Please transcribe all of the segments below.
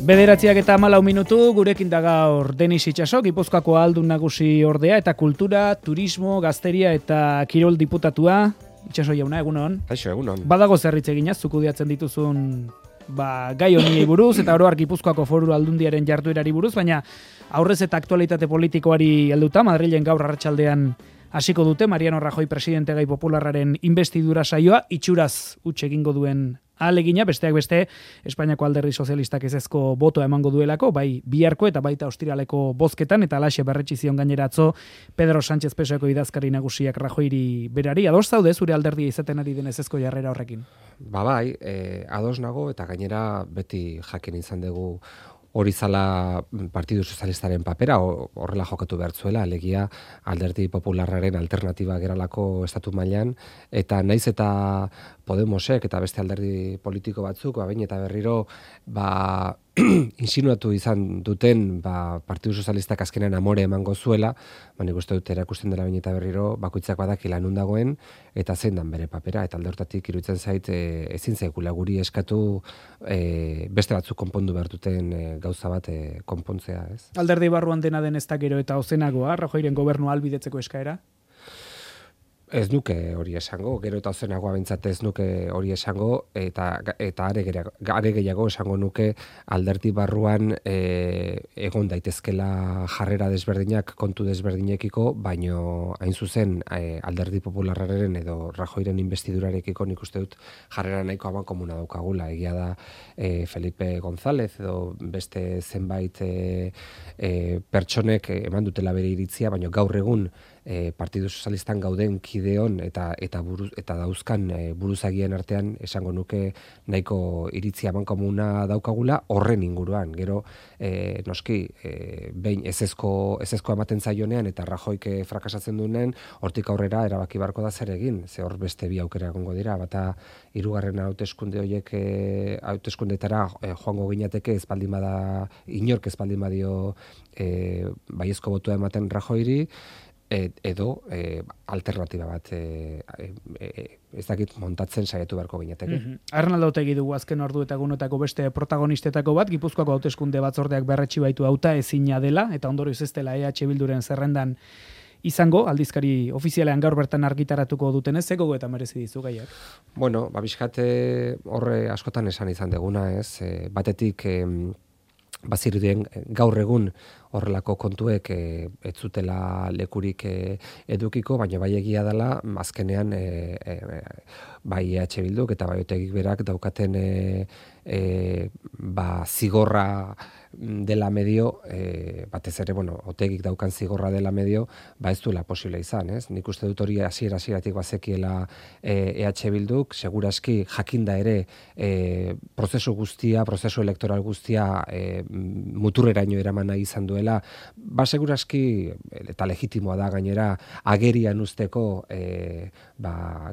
9:14 gurekin da gaur Denis Itxaso, Gipuzkoako Ahaldun Nagusi ordea eta kultura, turismo, gazteria eta kirol diputatua. Itxaso jauna, egunon. Kaixo, egunon. Badago zerritz eginaz, zuk kudeatzen dituzun gai honi buruz eta oro har Gipuzkoako Foru Aldundiaren jarduerari buruz, baina aurrez eta aktualitate politikoari helduta Madrilen gaur arratsaldean hasiko dute Mariano Rajoy presidente gai popularraren investidura saioa, itxuraz huts egingo duen ahalegina, besteak beste, Espainiako Alderdi Sozialistak ezezko botoa emango duelako, bai biharko eta baita ostiraleko bozketan, eta alaxe berretsi zion gainera atzo Pedro Sánchez Pesoeko idazkari nagusiak Rajoyri berari. Ados zaude zure alderdia izaten ari den ezezko jarrera horrekin? Bai, ados nago eta gainera beti jakin izan dugu hori zala Partidu Sozialistaren papera, horrela jokatu behar zuela, alegia Alderdi Popularraren alternatiba geralako estatu mailan, eta naiz eta Podemosek eta beste alderdi politiko batzuk, bain eta berriro, insinuatu izan duten Partidu Sozialistak azkenean amore emango zuela, nik uste dut erakusten dela bain eta berriro, bakoitzak badakila nun dagoen, eta zein dan bere papera, eta alde hortatik iruditzen zait ezin zaigula guri eskatu beste batzuk konpondu behar duten gauza bat konpontzea, ez? Alderdi barruan dena den ez da gero eta ozenagoa, Rajoyren gobernu ahalbidetzeko eskaera? Ez nuke hori esango, gero eta ozenagoa behintzat ez nuke hori esango, eta are gehiago esango nuke alderdi barruan egon daitezkela jarrera desberdinak kontu desberdinekiko, baino hain zuzen Alderdi Popularraren edo Rajoyren investidurarekiko nik uste dut jarrera nahiko aban komuna daukagula. Egia da Felipe González edo beste zenbait pertsonek eman dutela bere iritzia, baino gaur egun Partidu Sozialistan gauden kideon eta dauzkan buruzagien artean esango nuke nahiko iritzia bankomuna daukagula horren inguruan. Gero noski behin ezezko ematen zaionean eta Rajoyk frakasatzen duenean, hortik aurrera erabaki barko da zer egin. Ze hor beste bi aukera egongo dira, bata hirugarren hauteskunde horiek hauteskundetara joango ginateke ez baldin bada inork ez baldin badio baiezko botua ematen Rajoyri, edo alternatiba bat ez dakit montatzen saiatu beharko ginateke. Arnaldo Otegi dugu azken ordu eta egunetako beste protagonistetako bat, Gipuzkoako hauteskunde batzordeak berretsi baitu hauta ezina dela, eta ondorioz ez dela EH Bilduren zerrendan izango, aldizkari ofizialean gaur bertan argitaratuko dutenez, ze gogoeta merezi dizu gaiak? Bueno, bizkate horre askotan esan izan deguna, ez? Batetik bazirudien gaur egun horrelako kontuek ez zutela lekurik edukiko, baina bai egia dela, azkenean bai EH Bilduk eta bai Otegik berak daukaten zigorra dela medio, batez ere, Otegik daukan zigorra dela medio, ez duela posible izan, ez? Nik uste dut hori hasieratik bazekiela EH Bilduk, seguraski jakinda ere prozesu elektoral guztia muturreraino eraman nahi izan duela, seguraski, eta legitimoa da gainera, agerian usteko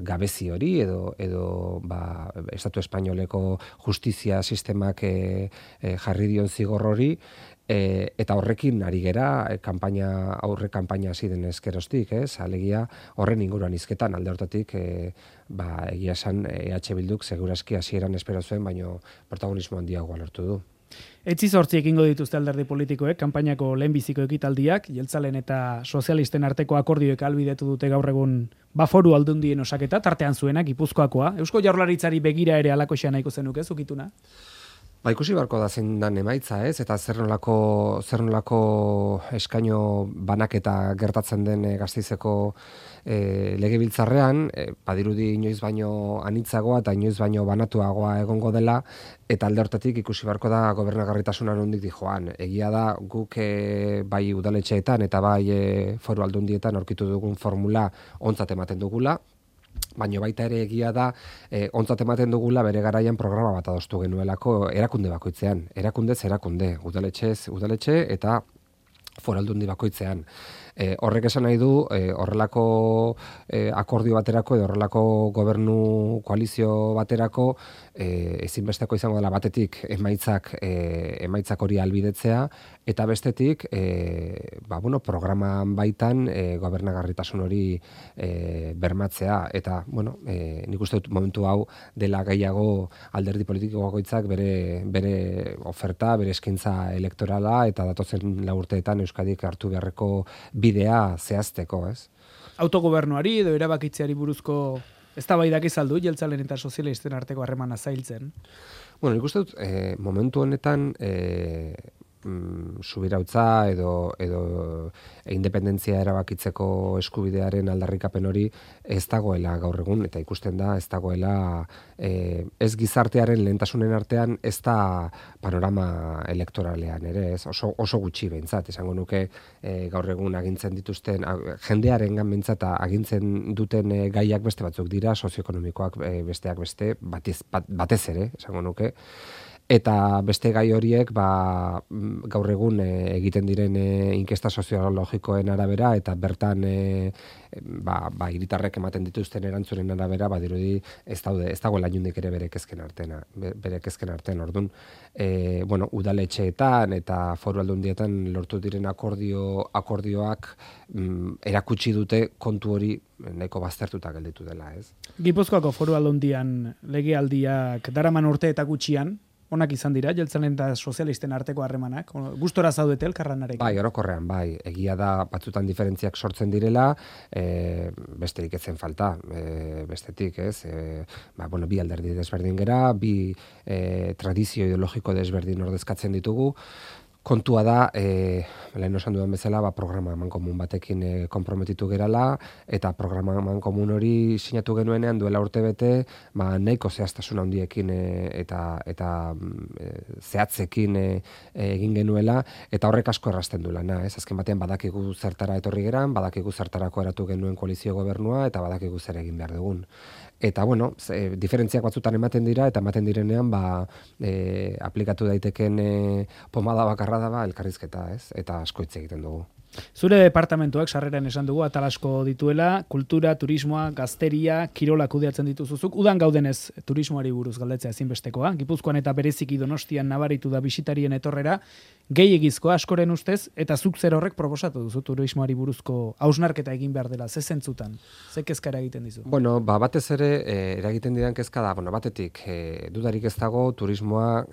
gabezi hori, edo Estatu Espainoleko justizia sistemak jarri dion zigor hori, eta horrekin ari gera aurre kanpaina hasi den ezkeroztik, ez? Alegia horren inguruan hizketan alde hortatik egia esan EH Bilduk seguraski hasieran espero zuen, baino protagonismo handiagoa lortu du. Etzi 8 egingo dituzte alderdi politikoek, kanpainako lehenbiziko ekitaldiak, jeltzalen eta sozialisten arteko akordioek ahalbidetu dute gaur egun Foru Aldundien osaketa, tartean zuena, Gipuzkoakoa. Eusko Jaurlaritzari begira ere alakoxea nahiko zenuke, zukituna? Ikusi beharko da zein dan emaitza, ez? Eta zer nolako eskaino banaketa gertatzen den Gasteizeko legebiltzarrean, badirudi inoiz baino anitzagoa eta inoiz baino banatuagoa egongo dela, eta alde hortatik ikusi beharko da gobernagarritasuna nondik dijoan. Egia da guk bai udaletxeetan eta bai Foru Aldundietan aurkitu dugun formula ontzat ematen dugula, baina baita ere egia da ontzat ematen dugula bere garaian programa bat adostu genuelako erakunde bakoitzean, erakundez erakunde, udaletxe eta Foru Aldundi bakoitzean. Horrek esan nahi du, horrelako akordio baterako edo horrelako gobernu koalizio baterako ezinbesteko izango dela batetik emaitzak hori albidetzea, eta bestetik programan baitan gobernagarritasun hori bermatzea, eta nik uste dut momentu hau dela gehiago alderdi politiko bakoitzak bere oferta, bere eskaintza elektorala eta datozen 4 urteetan Euskadik hartu beharreko bidea zehazteko, ez? Autogobernuari edo erabakitzeari buruzko eztabaidak izaldu jeltzalen eta sozialisten arteko harremana zailtzen. Nik uste dut momentu honetan subirautza edo independentzia erabakitzeko eskubidearen aldarrikapen hori ez dagoela gaur egun, eta ikusten da ez dagoela ez gizartearen lehentasunen artean, ez da panorama elektoralean ere, ez oso gutxi behintzat, esango nuke gaur egun agintzen dituzten, jendearengan behintzat agintzen duten gaiak beste batzuk dira, sozioekonomikoak besteak beste, batez ere, esango nuke. Eta beste gai horiek gaur egun egiten diren inkesta soziologikoen arabera eta bertan hiritarrek ematen dituzten erantzunen arabera badirudi ez dagoela inondik ere bere kezken artean. Orduan, udaletxeetan eta foru aldundietan lortu diren akordioak erakutsi dute kontu hori nahiko baztertuta gelditu dela, ez? Gipuzkoako foru aldundian legealdiak daraman urte eta gutxian, onak izan dira, jeltzalen eta sozialisten arteko harremanak? Gustora zaudete elkarranarekin? Bai, orokorrean, bai. Egia da batzutan diferentziak sortzen direla, besterik etzen falta, bestetik, ez? Bi alderdi desberdin gera, bi tradizio ideologiko desberdin ordezkatzen ditugu. Kontua da, lehen osan dudan bezala, programa mankomun batekin konprometitu gerala, eta programa mankomun hori sinatu genuenean duela urte bete, nahiko zehaztasun handiekin eta zehatzekin egin genuela, eta horrek asko errazten du lana, ez? Azken batean badakigu zertara etorri geran, badakigu zertarako eratu genuen koalizio gobernua, eta badakigu zer egin behar dugun. Eta, diferentziak batzutan ematen dira, eta ematen direnean, aplikatu daiteken pomada bakarra da elkarrizketa, ez? Eta asko hitz egiten dugu. Zure departamentuak sarreran esan dugu atal asko dituela, kultura, turismoa, gazteria, kirola kudeatzen dituzuzuk. Udan gaudenez turismoari buruz galdetzea ezinbestekoa. Gipuzkoan eta bereziki Donostian nabaritu da bisitarien etorrera, gehiegizkoa askoren ustez, eta zuk zer horrek proposatu duzu turismoari buruzko hausnarketa egin behar dela, ze zentzutan, ze kezka eragiten dizu? Batez ere eragiten didan kezka da, batetik dudarik ez dago turismoa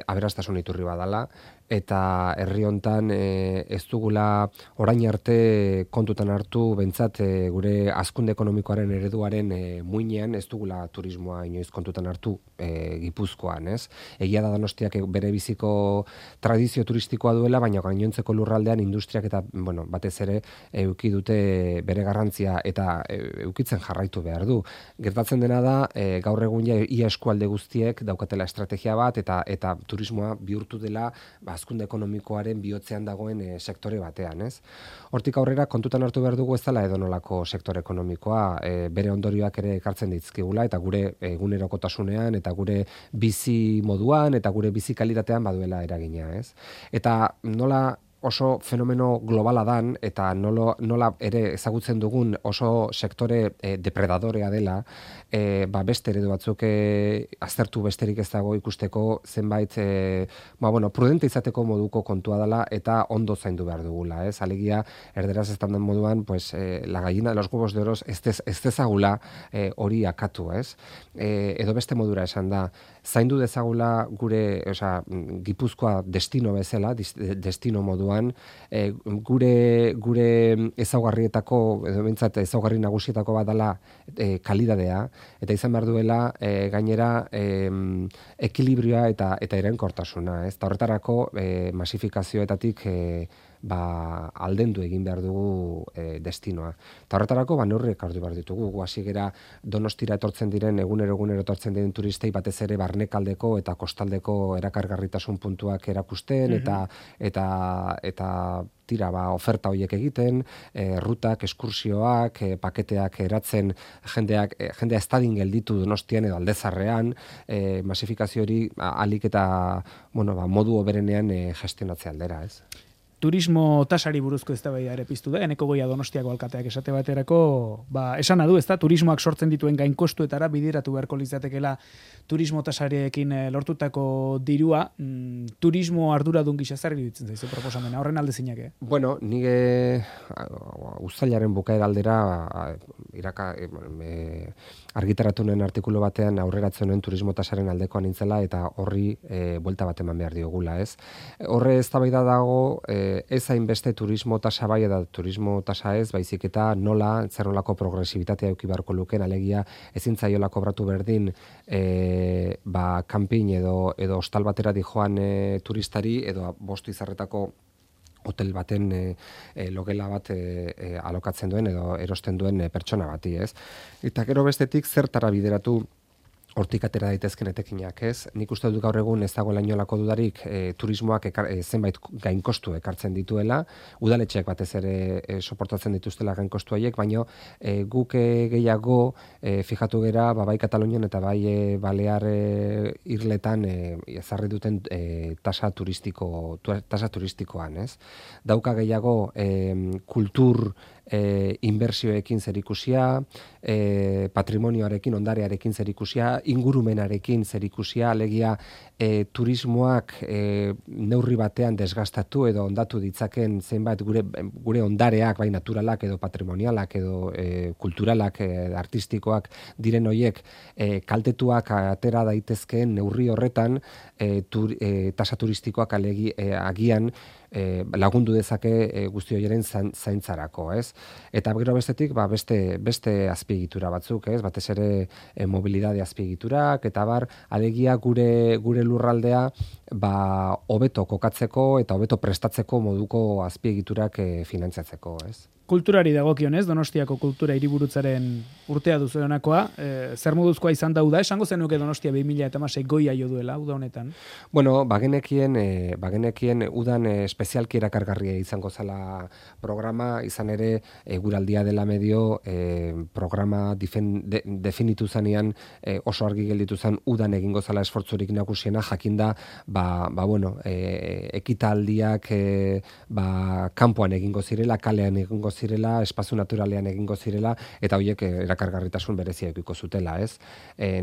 aberastasun iturri badala, eta herri hontan ez dugula orain arte kontutan hartu behintzat gure hazkunde ekonomikoaren ereduaren muinean ez dugula turismoa inoiz kontutan hartu Gipuzkoan, ez? Egia da Donostiak bere biziko tradizio turistikoa duela, baina gainontzeko lurraldean industriak eta batez ere eduki dute bere garrantzia eta edukitzen jarraitu behar du. Gertatzen dena da gaur egun ia eskualde guztiek daukatela estrategia bat eta turismoa bihurtu dela hazkunde ekonomikoaren bihotzean dagoen sektore batean, ez? Hortik aurrera kontutan hartu behar dugu ez dela edonolako sektore ekonomikoa, bere ondorioak ere ekartzen dizkigula eta gure egunerokotasunean eta gure bizi moduan eta gure bizi kalitatean baduela eragina, ez? Eta nola oso fenomeno globala dan eta nola ere ezagutzen dugun oso sektore depredadorea dela, beste eredu batzuk aztertu besterik ez dago ikusteko zenbait prudente izateko moduko kontua dela eta ondo zaindu behar dugula, ez? Alegia erderaz ez den moduan, la gallina de los huevos de oro ez dezagula hori akatu, ez? Edo beste modura esan da, zaindu dezagula gure, Gipuzkoa destino bezala, destino moduan, gure ezaugarrietako, edo behintzat ezaugarri nagusietako bat dela kalidadea, eta izan behar duela gainera ekilibrioa eta iraunkortasuna, ez? Eta horretarako masifikazioetatik aldendu egin behar dugu destinoa. Eta horretarako neurriak hartu behar ditugu. Hasi gera Donostira etortzen diren, egunero etortzen diren turistei batez ere barnekaldeko eta kostaldeko erakargarritasun puntuak erakusten, eta tira oferta horiek egiten, rutak, eskursioak, paketeak eratzen jendea ez dadin gelditu Donostian edo Aldezarrean, masifikazio hori alik eta modu oberenean gestionatzea aldera, ez? turismo tasari buruzko eztabaida ere piztu da, Eneko Goia Donostiako alkateak esate baterako, esana du, ezta, turismoak sortzen dituen gainkostuetara bideratu beharko litzatekeela turismo tasariekin lortutako dirua, turismo arduradun gisa zer iruditzen zaizu proposamena, horren alde zinak. Bueno, nire uztailaren bukaera aldera argitaratu nuen artikulu batean aurreratzen nuen turismo tasaren aldekoa nintzela eta horri buelta bat eman behar diogula, ez? Horre eztabaida dago, ez hainbeste turismo tasa bai eta turismo tasa ez, baizik eta nola, zer nolako progresibitatea eduki beharko luken, alegia ezin zaiola kobratu berdin kanpin edo hostal batera dijoan turistari edo bostu izarretako hotel baten logela bat alokatzen duen edo erosten duen pertsona bati, ez? Eta gero bestetik zertara bideratu hortik atera daitezken etekinak, ez? Nik uste dut gaur egun ez dagoela inolako dudarik turismoak zenbait gainkostu ekartzen dituela, udaletxeak batez ere soportatzen dituztela gainkostu haiek, baina guk gehiago fijatu gera bai Katalunian eta bai Balear irletan ezarri duten tasa turistikoan, ez? Dauka gehiago kultur inbertsioekin zerikusia, patrimonioarekin, ondarearekin zerikusia, ingurumenarekin zerikusia, alegia turismoak neurri batean desgastatu edo ondatu ditzaken zenbait gure ondareak, bai naturalak edo patrimonialak edo kulturalak, artistikoak diren hoiek kaltetuak atera daitezkeen neurri horretan tasa turistikoak agian lagundu dezake guzti horieren zaintzarako, ez? Eta gero bestetik, beste azpiegitura batzuk, ez? Batez ere mobilidade azpiegiturak, eta alegia gure lurraldea hobeto kokatzeko eta hobeto prestatzeko moduko azpiegiturak finantziatzeko, ez? Kulturari dagokionez, Donostiako kultura hiriburutzaren urtea duzu honakoa, zer moduzkoa izan da esango zenuke Donostia 2016 goia jo duela, uda honetan? Bueno, bagenekien udan espezialki erakargarria izango zala programa, izan ere guraldia dela medio programa definitu zanean oso argi gelditu zen udan egingo zala esfortzurik nagusiena, jakinda ekitaldiak kanpoan egingo zirela, kalean egingo zirela, espazio naturalean egingo zirela, eta horiek erakargarritasun berezia edukiko zutela, ez?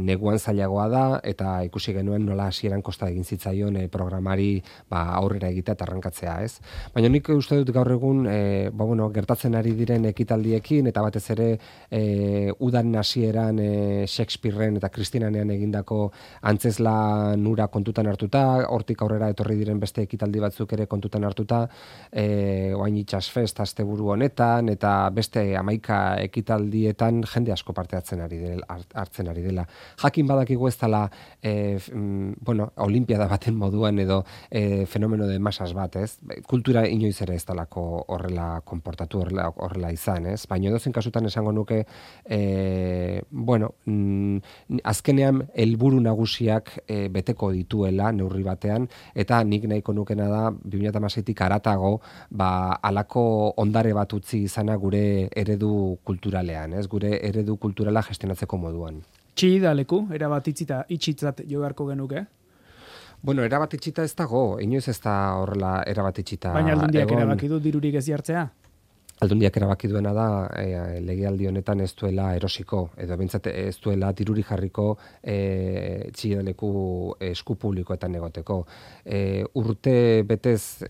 Neguan zailagoa da, eta ikusi genuen nola hasieran kosta egin zitzaion programari aurrera egitea eta arrankatzea, ez? Baina nik uste dut gaur egun gertatzen ari diren ekitaldiekin, eta batez ere udan hasieran Shakespearen eta Kristinanean egindako antzezlan nura kontutan hartuta, hortik aurrera etorri diren beste ekitaldi batzuk ere kontutan hartuta, oain itxasfest asteburu honetan, eta beste 11 ekitaldietan jende asko parte hartzen ari dela. Jakin badakigu ez dela olimpiada baten moduan edo fenomeno de masas bat, ez? Kultura inoiz ere ez dalako horrela konportatu, horrela izan, ez? Baina edozein kasutan esango nuke azkenean helburu nagusiak beteko dituela neurri batean, eta nik nahiko nukena da 2016tik haratago halako ondare bat utzi izana gure eredu kulturalean, ez? Gure eredu kulturala gestionatzeko moduan. Txida leku, erabat itxitzat jo beharko genuke? Bueno, erabat itxita ez dago, inoiz ez da horrela erabat itxita. Baina Aldundiak erabaki du dirurik ez jartzea? Aldundiak erabaki duena da legealdi honetan ez duela erosiko, edo bentsat ez duela diruri jarriko txidaleku esku publikoetan egoteko. Urte betez,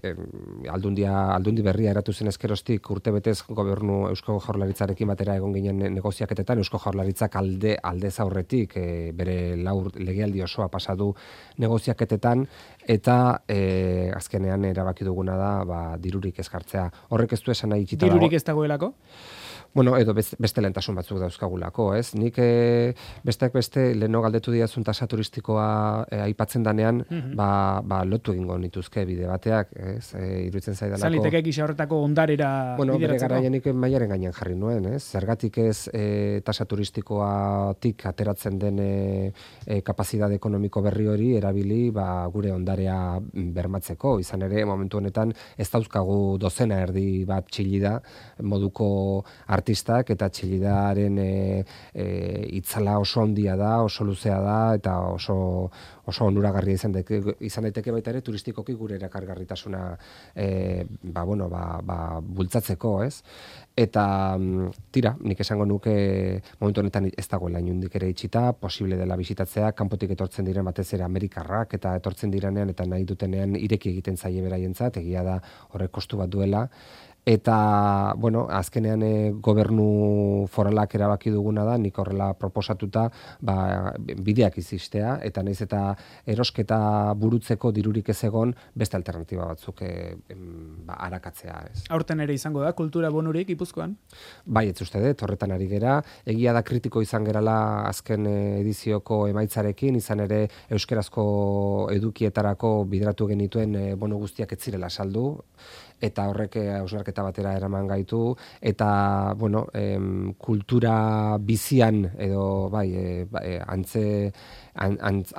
aldundi berria eratu zen ezkerostik, urte betez gobernu Eusko Jaurlaritzarekin batera egon ginen negoziaketetan, Eusko Jaurlaritzak aldez aurretik bere legealdi osoa pasadu negoziaketetan, eta azkenean erabaki duguna da dirurik ezkartzea. Horrek ez du esan nahi itxita dago. Dirurik ez dagoelako? Bueno, edo beste lehentasun batzuk dauzkagulako, ez? Nik besteak beste leheno galdetu diazun tasa turistikoa aipatzen danean, lotu egingo nituzke bide bateak, ez? Iruditzen zaidalako. Zaliteke gisa horretako ondarera bideratzeko? Bere garaian nik mailaren gainean jarri nuen, ez? Zergatik ez tasa turistikoatik ateratzen den kapazitate ekonomiko berri hori erabili gure ondarea bermatzeko. Izan ere, momentu honetan ez dauzkagu dozena erdi bat txilida moduko artistak, eta Txillidaren itzala oso handia da, oso luzea da, eta oso onuragarria izan daiteke baita ere turistikoki gure erakargarritasuna bultzatzeko, ez? Eta tira, nik esango nuke momentu honetan ez dagoela inundik ere itxita, posible dela bisitatzea, kanpotik etortzen diren batez ere Amerikarrak, eta etortzen direnean eta nahi dutenean ireki egiten zaie beraientzat, egia da horrek kostu bat duela. Eta, bueno, azkenean gobernu foralak erabaki duguna da, nik horrela proposatuta bideak izistea, eta naiz eta erosketa burutzeko dirurik ez egon, beste alternatiba batzuk arakatzea. Ez. Aurten ere izango da, kultura bonurik Gipuzkoan? Bai, ez uste dut, horretan ari gera. Egia da kritiko izan gerala azken edizioko emaitzarekin, izan ere euskerazko edukietarako bideratu genituen bonu guztiak ez zirela saldu, eta horrek hausnarketa batera eraman gaitu, eta, bueno, kultura bizian, edo,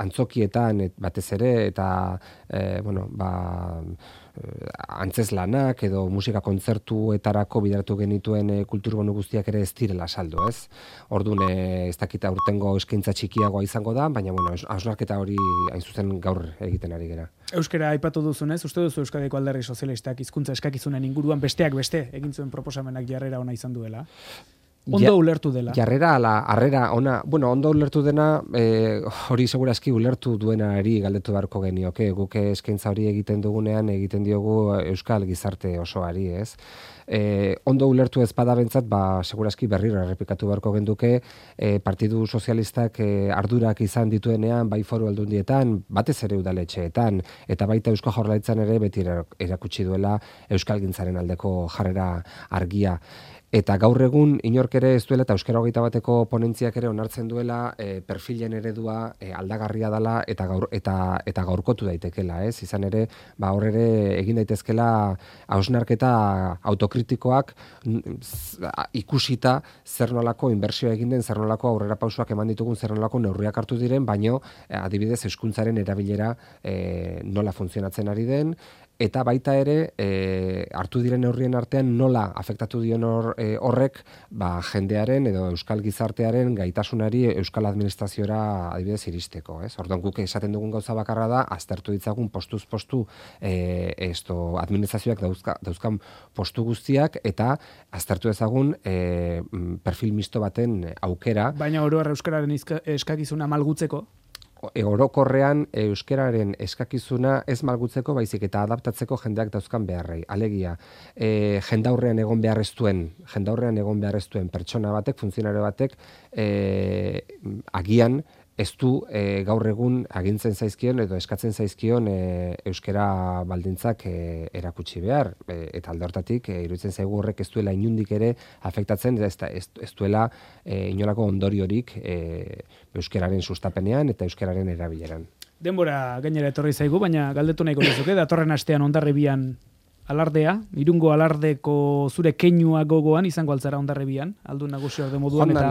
antzokietan batez ere, eta, antzeslanak edo musika kontzertuetarako bideratu genituen kulturbonu guztiak ere ez direla saldu, ez? Orduan, ez dakita urtengo eskaintza txikiagoa izango da, baina, hausnarketa hori hain zuzen gaur egiten ari gera. Euskara aipatu duzunez, uste duzu Euskadiko Alderdi Sozialistak hizkuntza eskakizunen inguruan besteak beste egin zuen proposamenak jarrera ona izan duela? Ondo ulertu dela. Jarrera ala harrera ona, ondo ulertu dena, hori segurazki ulertu duenari galdetu beharko genioke, guk eskaintza hori egiten dugunean egiten diogu euskal gizarte osoari, ez? Ondo ulertu ez badabentzat, segurazki berriro errepikatu beharko genduke, Partidu Sozialistak ardurak izan dituenean, bai foru aldundietan, batez ere udaletxeetan, eta baita Eusko Jaurlaritzan ere beti erakutsi duela euskalgintzaren aldeko jarrera argia. Eta gaur egun inork ere ez duela eta Euskara 21eko ponentziak ere onartzen duela perfilen eredua aldagarria dela eta gaurkotu daitekela, ez? Izan ere, hor ere egin daitezkela hausnarketa autokritikoak ikusita zer nolako inbertsioa egin den, zer nolako aurrerapausoak eman ditugun, zer nolako neurriak hartu diren, baino adibidez euskuntzaren erabilera nola funtzionatzen ari den, eta baita ere hartu diren neurrien artean nola afektatu dion horrek jendearen edo euskal gizartearen gaitasunari euskal administraziora adibidez iristeko, ez? Orduan guk esaten dugun gauza bakarra da aztertu ditzagun postuz postu administrazioak dauzkan postu guztiak eta aztertu ezagun perfil misto baten aukera. Baina oro har euskararen eskakizuna malgutzeko? Orokorrean euskararen eskakizuna ez malgutzeko baizik eta adaptatzeko jendeak dauzkan beharrei. Alegia, jendaurrean egon beharreztuen pertsona batek, funtzionario batek, agian ez du gaur egun agintzen zaizkion edo eskatzen zaizkion euskara baldintzak erakutsi behar. Eta alde hortatik, iruditzen zaigu horrek ez duela inundik ere afektatzen, ez duela inolako ondoriorik euskararen sustapenean eta euskararen erabileran. Denbora gainera etorri zaigu, baina galdetu nahiko dizuke, datorren astean Hondarribian alardea, Irungo alardeko zure keinua gogoan izango altzara Hondarribian, aldun nagusi orde moduan eta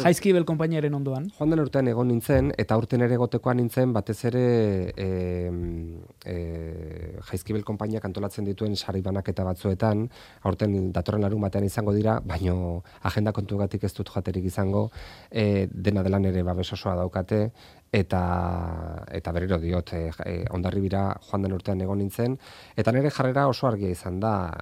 Jaizkibel konpainiaren ondoan. Joan den urtean egon nintzen, eta urten ere gotekoan nintzen, batez ere Jaizkibel konpainiak antolatzen dituen sari banaketa batzuetan, aurten datorren larun batean izango dira, baino agenda kontugatik ez dut joaterik izango, dena delan ere babes osoa daukate, eta berriro diot, Hondarribira joan den urtean egon nintzen, eta nire jarrera oso argia izan da,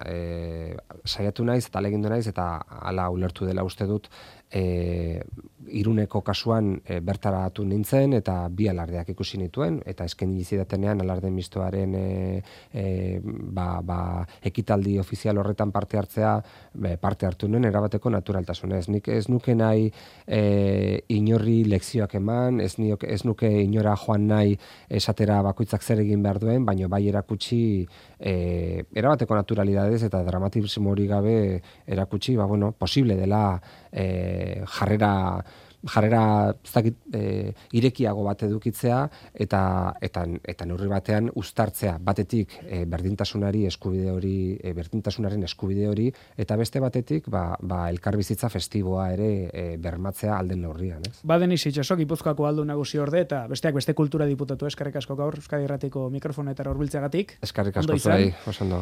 saiatu naiz eta alegindu naiz, eta hala ulertu dela uste dut, Iruneko kasuan bertaratu nintzen eta bi alardeak ikusi nituen eta eskaini zidatenean alarde mistoaren ekitaldi ofizial horretan parte hartu nuen erabateko naturaltasunez. Nik ez nuke nahi inorri lekzioak eman, ez nuke inora joan nahi esatera bakoitzak zer egin behar duen, baina bai erakutsi erabateko naturalidadez eta dramatismo hori gabe erakutsi, posible dela jarrera irekiago bat edukitzea eta neurri batean uztartzea batetik berdintasunaren eskubide hori eta beste batetik elkarbizitza festiboa ere bermatzea alden neurrian, ez? Denis Itxaso, Gipuzkoako aldun nagusi orde eta besteak beste kultura diputatu, eskerrik asko gaur Euskadi Irratiko mikrofonetara hurbiltzeagatik. Eskerrik asko zuei, oso ondo.